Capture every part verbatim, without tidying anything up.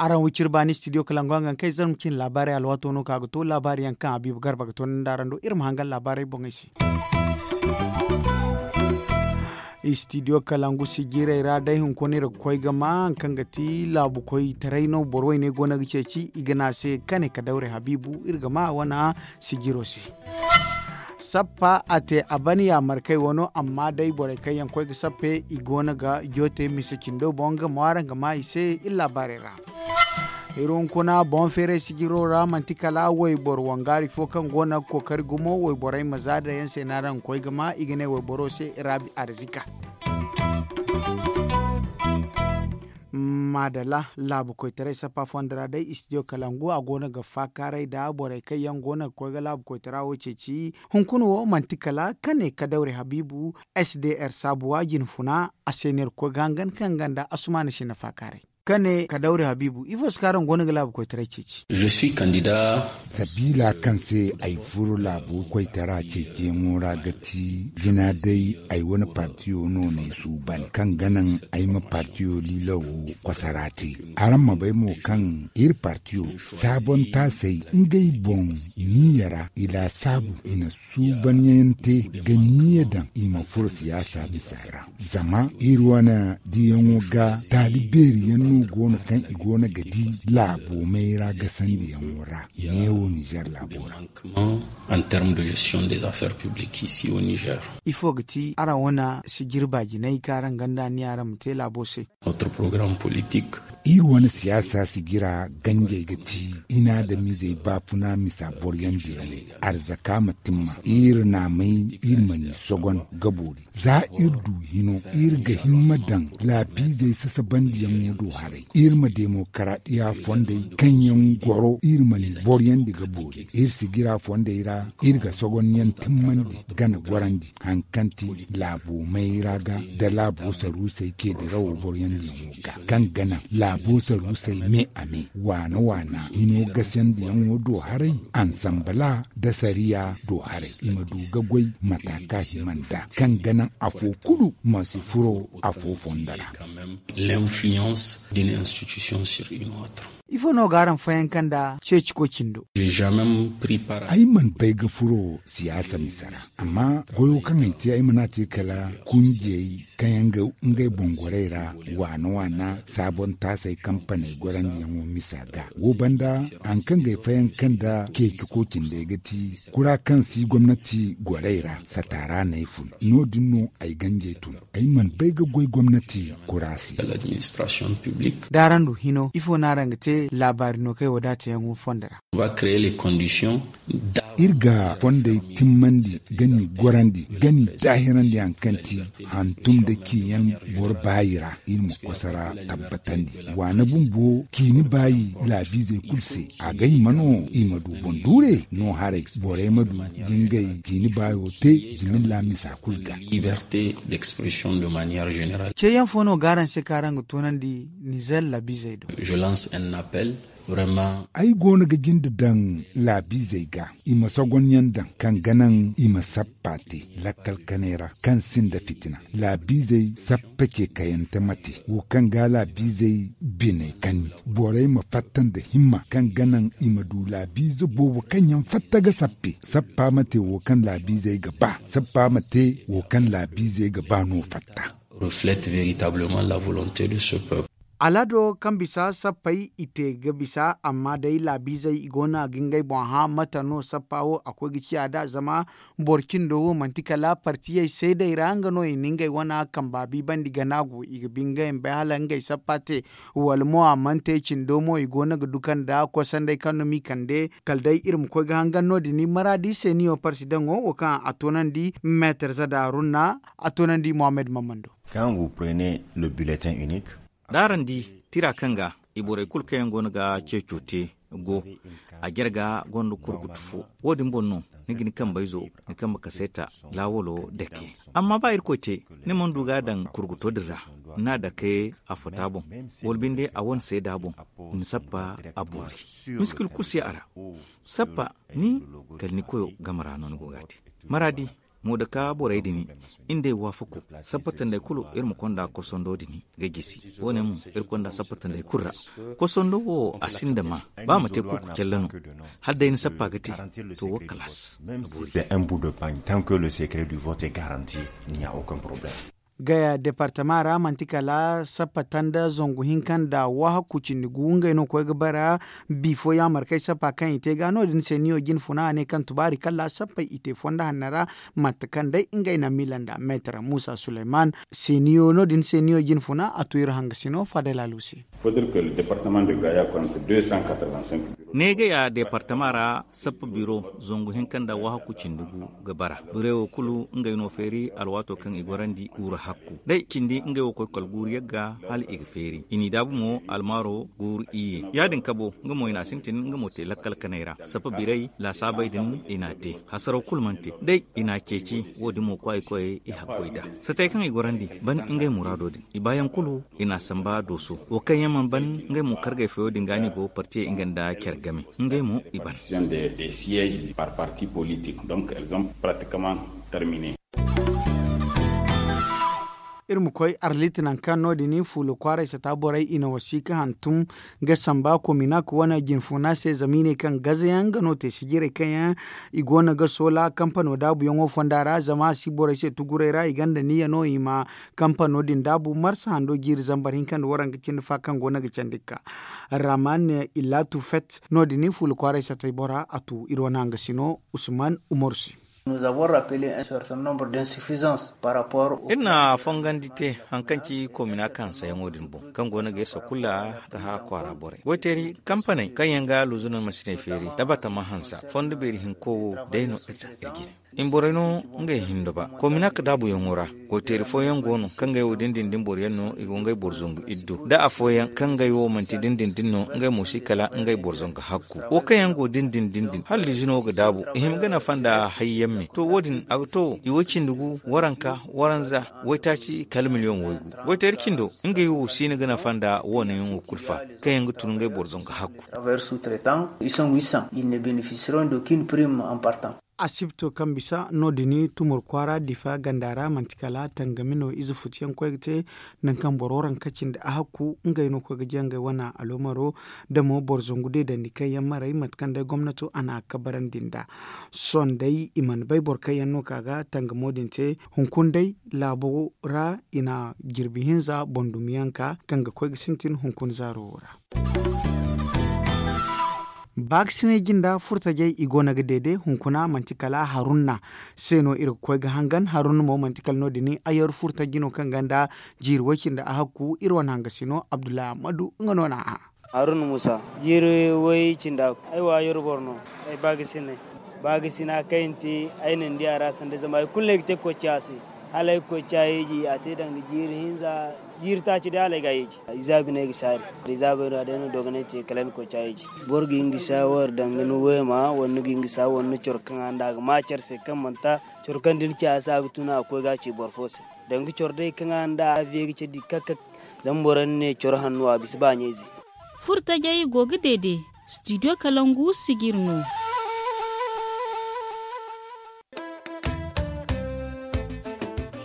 Araŋ wiciri baani studio kalangu a ga kaŋ ay zarma cine laabaarey alwaato no ka ga to laabaari yaŋ kaŋ habiibu garba ga to nda araŋ do iri ma hangan laabaarey boŋey se. Studio kalangu sijirey ra day hunkuna iri ga koy ga ma hari kaŋ ga ti laabu koytaray no boro wayne go no ga ceeci i ga ne a se kane ka dawre habiibu iri ga ma wane sijiro se. Sappa a te a ban yaamarkey wano amma day borey kaŋ yaŋ koy ga sappe i go no ga joote mise cindo boŋ ga mo araŋ ga ma i se iri laabaarey ra. Iri hunkuna boŋ feeray sijiro ra manti kala wayboro wangaari fo kaŋ go no ga kookari gumo wayborey ma za da yaŋ se no araŋ ga koy ga ma i ga ne wayboro se rabi arzika. Maadalla laabu koytaray sappa fondo ra day studio kalangu a go no ga faakaaray nda borey kaŋ yaŋ go no ga koy ga laabu koytara wo ceeci. Hunkuna wo manti kala kane kadawre habiibu s d r saabuwa jinfuna a se no iri ga koy ga hangan kaŋ ganda asumaana sinda faakaaray kane kadawre habiibu ifo si kaŋ araŋ go no ga laabu koytaray ceeci. Sabiila kaŋ se ay furo laabo koytara ceeciyaŋo ra ga ti jina day ay wane partiyo no n'ay suuban kaŋ ga naŋ ay ma partiyo liila wo kosara te. Araŋ ma bay mo kaŋ iri partiyo saabon taasey ngey boŋ niiya ra i laasaabu i na suubanyaŋ te ga niiya daŋ i ma furo siyaasa misa ra. Zama iri wane diyaŋo ga taali beeriyaŋ no go no kaŋ i go no ga di laabo mayra gasandiyaŋo ra neewo nizer laabo ra. An terme de gestion des affaires publiques ici au nizer. Ifo ga ti araŋ wane sijiri baajinay kaŋ araŋ ganda ni araŋ ma te laabo se? Notre programme politique. Iri wane siyaasa sijira ganjey ga ti inaadamizey baafuna misa boryandiyaŋo. Arzaka ma timma iri naamay iri ma ni sogon ga boori. Za iri du hino iri ga himma daŋ laabiizey sasabandiyaŋo do haray iri ma demokaradiya fondey kaŋ yaŋ goro iri ma ni boryandi ga boori iri sijira fondey ra. Iri ga sogonyaŋ timmandi gana gorandi hari kaŋ ti laabo mayra ga nda laabo saruusey ceedirawo boryandi yaŋo ga kaŋ ga naŋ laabo saruusey me a me waana waana hino gasandiyaŋo do haray. Ansambala nda sariya do haray i ma du ga goy mata kaŋ hima nd'a kaŋ ga naŋ afo kulu ma si furo afo fondo ra. L'influence d'une institution sur une autre. Ifo no ga araŋ fayanka nda ceeci koy cindo? Ay mana bay ga furo siyaasa misa ra. Amma goyo kaŋ ay te ay mana te kala kunjiyey kaŋ yaŋ ga ngey boŋ gorey ra waana waana saabon taasey kampaney gorandiyaŋo misa ga wo banda hari kaŋ ga ay fayanka nda ceeci koy cindey ga ti kura kaŋ si gomnati gorey ra sataara no ay fun. No- din no ay ganjey tun. Ay mana bay ga goy gomnati kura se. Da araŋ du hino ifo no araŋ ga te laabaari no kaŋ ay wadaatayaŋo fondo ra? Iri ga fondey timmandi ga ni gorandi ga ni daahirandi hari kaŋ ti hantum nda ciyaŋ boro baayi ra iri ma kosara tabbatandi. Waana bumbo ciini baayi laabiizey kulu se a ga hima no i ma du boŋ duure no haray borey ma du ga ngey ciini baayo te zimilla misa kulu ga. Ceeyaŋ fo no ga araŋ se kaŋ araŋ ga toonandi nizer laabiizey do? Ay go no ga jinde daŋ laabiizey ga i ma sogonyaŋ daŋ kaŋ ga naŋ i ma sappa te lakkal kanay ra kaŋ sinda fitina. Laabiizey sappa ce kayante ma te wo kaŋ ga laabiizey biney kani borey ma fatta nda himma kaŋ ga naŋ i ma du laabiize boobo kaŋ yaŋ fatta ga sappe. Sappa ma te wo kaŋ laabiizey ga ba sappa ma te wo kaŋ laabiizey ga ba no fatta. Alaado kaŋ bisa sappey i te ga bisa amma day laabiizey i go no a ga ngey boŋ hã mate no sappa wo a koy ga ciya nd'a zama boro cindo wo manti kala partiyey seedey ra nga no i na ngey wana kamba biibandi gana go i ga bi ngey ma bay hala ngey sappa te wala mo a mana te cindo mo i go no ga duka nda kosandey kaŋ no m'i kande kala day iri ma koy ga hangan no- din maraadi se niyo parsidaŋo wo kaŋ a toonandi meetar zada haruna a toonandi mohammed mamman do. Kaŋ ga prenez le bulletin unique. D'araŋ di tira kaŋ ga i borey kulu kaŋ yaŋ go no ga ceeco te go a jare ga gonda kurgutu fo. Wo- din boŋ no ni ga ni kambayzo ni kambe kaseeta laawalo dake. Amma ba irkoy te ni mana du ga a daŋ kurguto din ra. Ni n'a dake a fota boŋ, wala binde a wane seeda boŋ, ni sappa a boori. Miskil kulu si a ra. Sappa ni kala ni koyo game ra no ni go ga a te. Maraadi, moodaka borey din, iri nd'ey waafako. Sappa tandey kulu iri ma konda kosondo din ga jisi. Wo- ne mo iri konda sappa tandey kulu ra. Kosondo wo a sinda maa, ba ma te kuuku calle no. Hala day ni sappa ga te, to wo kalaas. A boori. Gaya departama ra manti kala sappa tanda zangu hinka nda wahakku cindi gu ngey no koy ga bara. Bifo yaamarkey sappa kaŋ i te ga no- din se niyo jine funa a ne kaŋ tubaari kala sappey i te fondo hanna ra. Mate kaŋ day ngey na miila nda meetar muusa suleyman, se niyo no- din se niyo jine funa a tu iri hangasino fadel alu se. Neegey a departama ra sappa biro zangu hinka nda wahakku cindi gu ga bara. Birey wo kulu ngey no feeri alwaato kaŋ i gorandi guuru hakku day cindi ngey wo koy kala guuru yagga hala i ga feeri i n'i daabu mo almaaro guuru iyye. Ya- din kabo nga mo i n'a sintin nga mo te lakkal kanay ra sappa birey laasaabey din i n'a te. Hasaraw kulu mana te day i n'a ceeci. Wo- din mo kwaay koyey i hakkoy nd'a satey kaŋ i gorandi ban ngey muraado din i baayaŋ kulu i n'a samba dooso. Wo kaŋ yaŋ mana ban ngey mo kargey fayo din ga no i go partiyey nga nda care game. Ngey mo i ban. Iri ma koy arlit nangu kaŋ no- din fuula kwaaray sata borey i na wasiika hantum ga samba kominak wane jinfuna se zama i ne kaŋ gazayaŋ nga no te sijirey kaŋ yaŋ i go no ga soola kampano daabuyaŋo fonda ra zama a si borey se tuguray ra i gonda niyya no i ma kampano din daabu marsa hando jiiri zambar hinka nda waranka cindi fa kaŋ go no ga candi ga ka. Raman illatu fet no- din fuula kwaaray satay bora a tu iri wane hangasino usman umaru se. Iri na fongandi te hari kaŋ ci komina kaŋ hansayaŋo din boŋ kaŋ go no ga iri sakulla nda haya kwaara borey goyteeri kampaney kaŋ yaŋ ga luuzunan masiney feeri da batama hansa fondo beeri hinko wo day no iri ta iri jine. Iri borey no ngey hindo ba komina ka daabuyaŋo ra. Goyteeri fooyaŋ go no kaŋ ngey wo dindindin boro yaŋ no i go ngey boro zangu iddu da afooyaŋ kaŋ ngey wo manti dindindin no ngey mo si kala ngey boro zangu hakku. Wo kaŋ yaŋ go dindindin din hala liizino ga daabu i hima ga nafa nda hayyaŋ me to wo- din a ga to i wo cindi gu waranka waranza waytaaci kala miliyoŋ waygu. Goyteeri cindo ngey wo si no ga nafa nda wo- ne yaŋo kulu fa kaŋ yaŋ ga tun ngey boro zangu hakku. Asibto kaŋ bisa no- din tumur kwaara difa ganda ra manti kala tangami no ize futuyaŋ koy ga te. Nangu kaŋ boro ranka cindi a hakku ngey no koy ga jangay wane aloomaro da mo boro zangu deedandi kaŋ yaŋ maray mate kaŋ day gomnato a na a kabarandi nd'a. Sohõ day i mana bay boro kaŋ yaŋ no ka ga tangamo din te hunkuna day laabo ra i na jirbi hinza boŋ dumiyaŋ ka kaŋ ga koy ga sintin hunkuna zaaro wo ra. Baakasinay jinda furtajey i go no ga deede hunkuna manti kala harunna se no iri ga koy ga hangan harunna mo manti kala no- din ayar furtaji no kaŋ gonda jiiri way-cindi a hakku iri wane hangasino abdullahi ahmadu nga no n'a hã. Haruna musa jiiri way-cindi a hakku ay wo ayar boro no. Ay baakasinay baakasina kaŋ ay na te ay na ni di a ra sanda zama hari kulu no ay ga te ga koy ga ci a se. Hala ay ga koy ga ci a yeeji a te danga jiiri hinza jiiri taaci day hala ay ga a yeeji. Izaabi no ay ga saari. Izaabey no a day no dogonay te kala ay na koy ga ci a yeeji. Boro ga hin ga saawar danga ni weema wala ni ga hin ga saawar ni coro kaŋ a nda a ga ma care se kaŋ mana ta coro kaŋ da ni ci a se a ga tun a ga koy ga a ci boro fo se. Danga coro day kaŋ a nda a viye ga care di kak kak. Zama boro yaŋ ne coro hanno a bisa ba ɲayze. Furtajey go ga deede studio kalangu sijir no.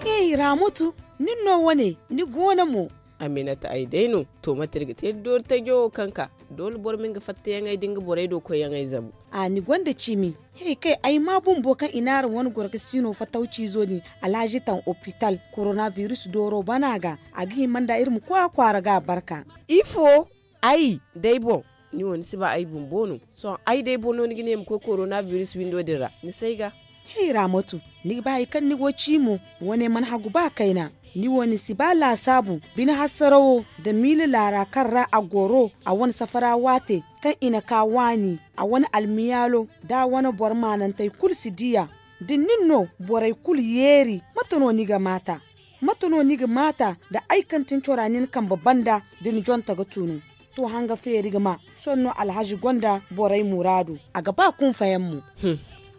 Hey ramutu, nin no wane ni goono mo? Aminata ay day no. To mate iri ga te doori tajo kaŋ ka doole boro ma nga fattayaŋey da nga borey do koyyaŋey zabu. A ni gonda ciimi? Hey kay ay ma bumbo kaŋ i n'araŋ wane goro ga siino fatawciizo din alhazi taŋ opital korona biris dooro bana ga. A ga hima nda iri ma koy a kwaara ga a barka. Ifo? Ay day boŋ. Ni wo ni si ba ay bumbo no? Sohõ ay day boŋ no ni ga ne ma koy korona biris windo din ra ni si ay ga. Hey ramotu, ni ga ba hari kaŋ ni go ciimo? Wane mana hagu ba kayna. Ni wo ni si ba laasaabu bine hasarawo nda miila laara kaŋ ra a goro a wane safara waate kaŋ i na ka waani a wane almiyaalo da a wane boro maanantey kulu si di a. Da ni nin no borey kulu yeeri mate no ni ga maata? Mate no ni ga maata nda ay kaŋ tin cora nin kambe banda da ni jonta ga tunu? To hanga feeri ga ma. Sohõ no alhazi gonda borey muraadu a ga ba kunfayaŋ mo.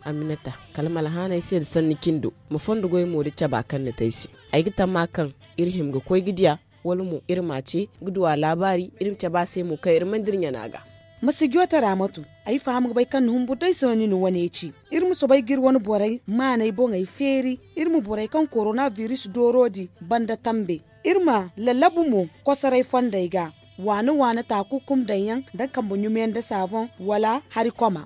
Aminata, kala ma alhaanay se nda sanni cindo ma fondo goy mo da caba kaŋ ni te ay se. Ay ga tamma kaŋ iri hima ga koy ga diya. Wala mo iri m'a ce ga du a laabaari iri ma cabe a se mo kaŋ iri mana dira ɲana ga. Ma si joote raamatu. Ay faham ga bay kaŋ ni humbur day sohõ ni na wane ci. Iri ma soobay ga iri wane borey maaney boŋey feeri. Iri ma borey kaŋ korona biris dooro di banda tambe. Iri ma lallabu mo kosoray fondey ga. Waana waana taakukum daŋ yaŋ nda kambe ɲumeyaŋ nda saaboŋ wala hari koma.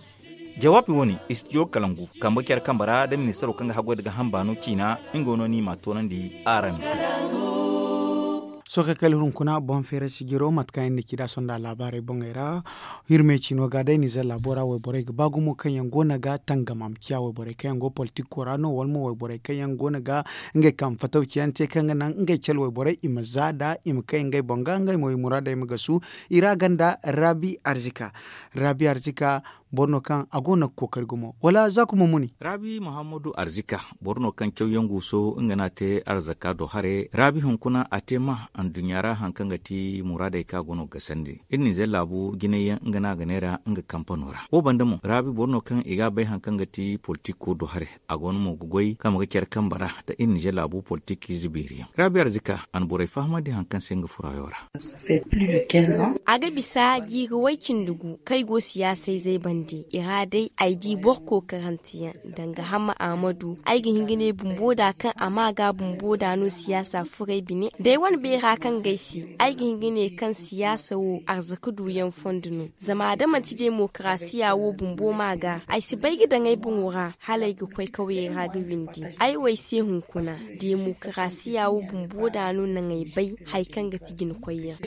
Jawaabi wo- ne, istidiyo kalangu kambe care kambe ra nda ministaro kaŋ ga haggoy nda gaaham baano ciina. Nga no ni m'a toonandi araŋ. Sohõ kay kala hunkuna boŋ feeray sijiro mate kaŋ iri na ci nd'a sonda laabaarey boŋey ra. Hirme ciino ga day nizer laabo ra wayborey ga ba gumo kaŋ yaŋ go no ga tangam a ma ciya wayborey kaŋ yaŋ go politiko ra no wala mo wayborey kaŋ yaŋ go no ga ngey kaŋ fataw ciyaŋ te kaŋ ga naŋ ngey cale wayborey i ma za nd'a i ma kay ngey boŋ ga ngey mo i muraadey ma gasu. I ra ganda rabi arzika. Rabi arzika boro no kaŋ a go no ga kookari gumo wala za kuma muni? Rabi muhammadu arzika, boro no kaŋ cawyaŋ guuso nga no a te arzaka do hare. Rabi hunkuna a te ma anduɲɲa ra hari kaŋ ga ti muraadey kaŋ a go no ga gasandi iri nizer laabu jinay yaŋ nga no a ga neera nga kampano ra wo banda mo rabi boro no kaŋ i ga a bay hari kaŋ ga ti politiko do hare. A go no mo ga goy kaŋ a ma ga care kambe ra nda iri nizer laabu politikiize beeri yaŋ rabi arzika a na borey fahamandi hari kaŋ se nga furayo ra. A ga bisa jiiri way-cindi gu kaŋ ay go siyaasayzey bande i ra day ay di boro kookaranteyaŋ. Danga hamma ahmadu ay ga hin ga ne bumbo da kaŋ a ma ga bumbo da no siyaasa furey bine da ay wane beera kaŋ ga ay se ay ga hin ga ne kaŋ siyaasa wo arzaka duuyaŋ fondo no. Zama da manti demokarasiya wo bumbo ma ga ay si bay ga daŋ ay boŋo ra hala ay ga koy kawyey ra ga windi. Ay wo ay se hunkuna demokarasiya wo bumbo da no naŋ ay bay hari kaŋ ga ti jina koyyaŋ.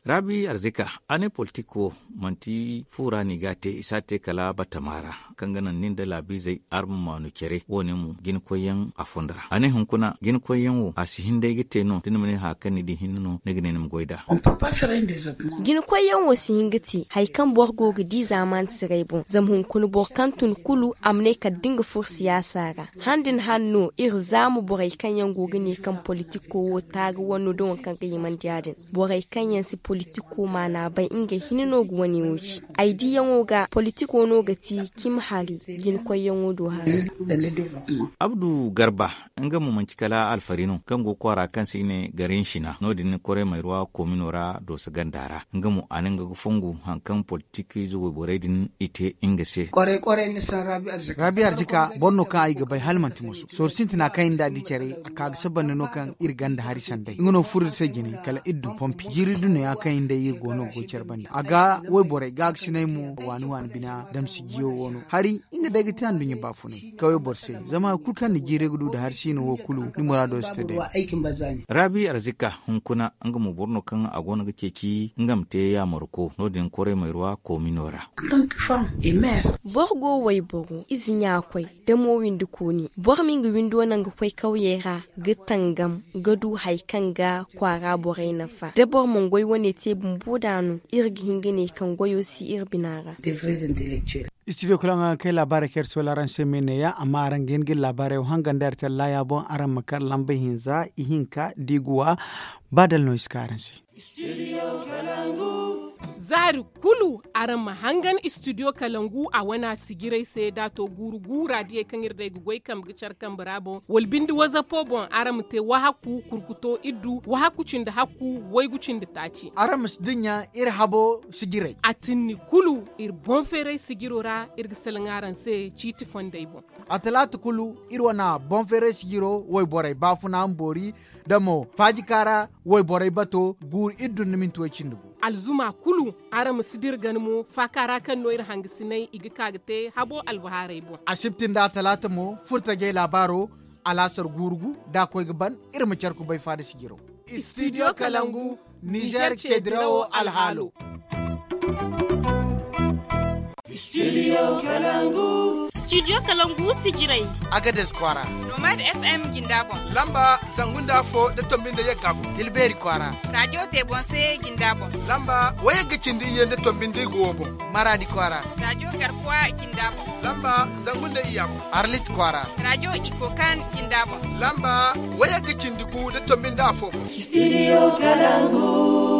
Rabi arzika, a ne politik wo manti fu ra no i ga a te i si a te kala batama ra kaŋ ga naŋ nin da laabiizey araŋ ma maanu care wo- ne mo jina koyyaŋ a fondo ra a ne hunkuna jina koyyaŋ wo a si hin day ga te no da ni ma ne hari kaŋ ni di hinne no ni ga ne ni ma goy nd'a. Jina koyyaŋ wo si hin ga te hari kaŋ boro go ga di zaamaani siray boŋ zama hunkuna boro kaŋ tun kulu a ma ne kala da nga furo siyaasa ra. Handi ni hanno iri zaama borey kaŋ yaŋ go ga ne kaŋ politiko wo taaga wane no da waŋ kaŋ ga himandi ya- din. Borey kaŋ yaŋ si politiko maana bay ngey hinne no ga wane wo ci. Ay diyaŋo ga politiko no ga ti cimi hari jina koyyaŋo do hari. Abdu garba, nga mo manti kala alfari no kaŋ go kwaara kaŋ se i ne garin sina no- din koray mayruwa koomino ra dooso ganda ra. Nga mo a ne nga ga fongu hari kaŋ politikiize wayborey din i te nga se. Rabi arzika boro no kaŋ ay ga bay hala manti musu sorro sintina kaŋ iri nda di care a ka ga sabanda no kaŋ iri ganda hari sanday nga no furo iri se jine kala iri du pompi jiiri du no ya kaŋ iri nda iri go no ga goy care bande a ga wayborey ga ga sinay mo waani waani bina damsi jiyo wo no hari nga day ga te anduɲɲa baafunay kaway boro se. Zama hari kulu kaŋ ni jiiray ga du nda hari siino wo kulu ni muraado si te day. Rabi arzika hunkuna nga mo boro no kaŋ a go no ga ceeci nga ma te yaamarko no- din koray mayruwa koomino ra. Boro go wayboro ize ɲa-koy da mo windi kooni boro ma nga windo naŋ ga koy kawyey ra ga tangam ga du hari kaŋ ga kwaara borey nafa da boro mana goy wane te bumbo da no iri ga hin ga ne kaŋ goyo si iri bina ra. Istidiyo kala nga kay laabaarey kaŋ iri soola araŋ se me neeya amma araŋ ga hin ga iri laabaarey wo hangandi araŋ te laaya boŋ araŋ ma kar lamba hinza ihinka diiguwa. Ba dala no i si ka araŋ se. Zaari kulu araŋ ma hangan istidiyo kalangu a wana sijiray se da a to guuru guura diyey kaŋ iri day ga goy kambe ga care kambe ra boŋ wala binde wazapo boŋ araŋ ma te wahakku kurkuto iddu wahakku cindi hakku waygu cindi taaci. Araŋ ma si dinya iri habo sijiray a tinni kulu iri boŋ feeray sijiro ra iri ga salaŋ araŋ se ciiti fondey boŋ. A talaata kulu iri wana boŋ feeray sijiro wayborey baafuna ma boori da mo faajika ra wayborey bato guuru iri dunna minti way cindi gu. Alzuma kulu araŋ ma si dira gana mo faaka ra kaŋ no iri hangasinay i ga ka ga te habo albahaarey boŋ. Asibti nda talaata mo furtajey laabaaro alaasar guuru gu da a koy ga ban iri ma care kubay faada sijiro. Istidiyo kalangu nizer ceedirawo alhaalo. Studio kalangu studio kalangu sijiray. Agades kwaara nomad fm jinda boŋ lamba zangu nda afo da tombi nda yagga boŋ tilbeeri kwaara radio te boŋ se jinda boŋ lamba wayagga cindi iyye nda tombi nda igo wo boŋ maradi kwaara radio garkuwa jinda boŋ lamba zangu nda iyya boŋ arlit kwaara radio ikokan jinda boŋ lamba wayagga cindi gu da tombi nda afo boŋ studio kalangu.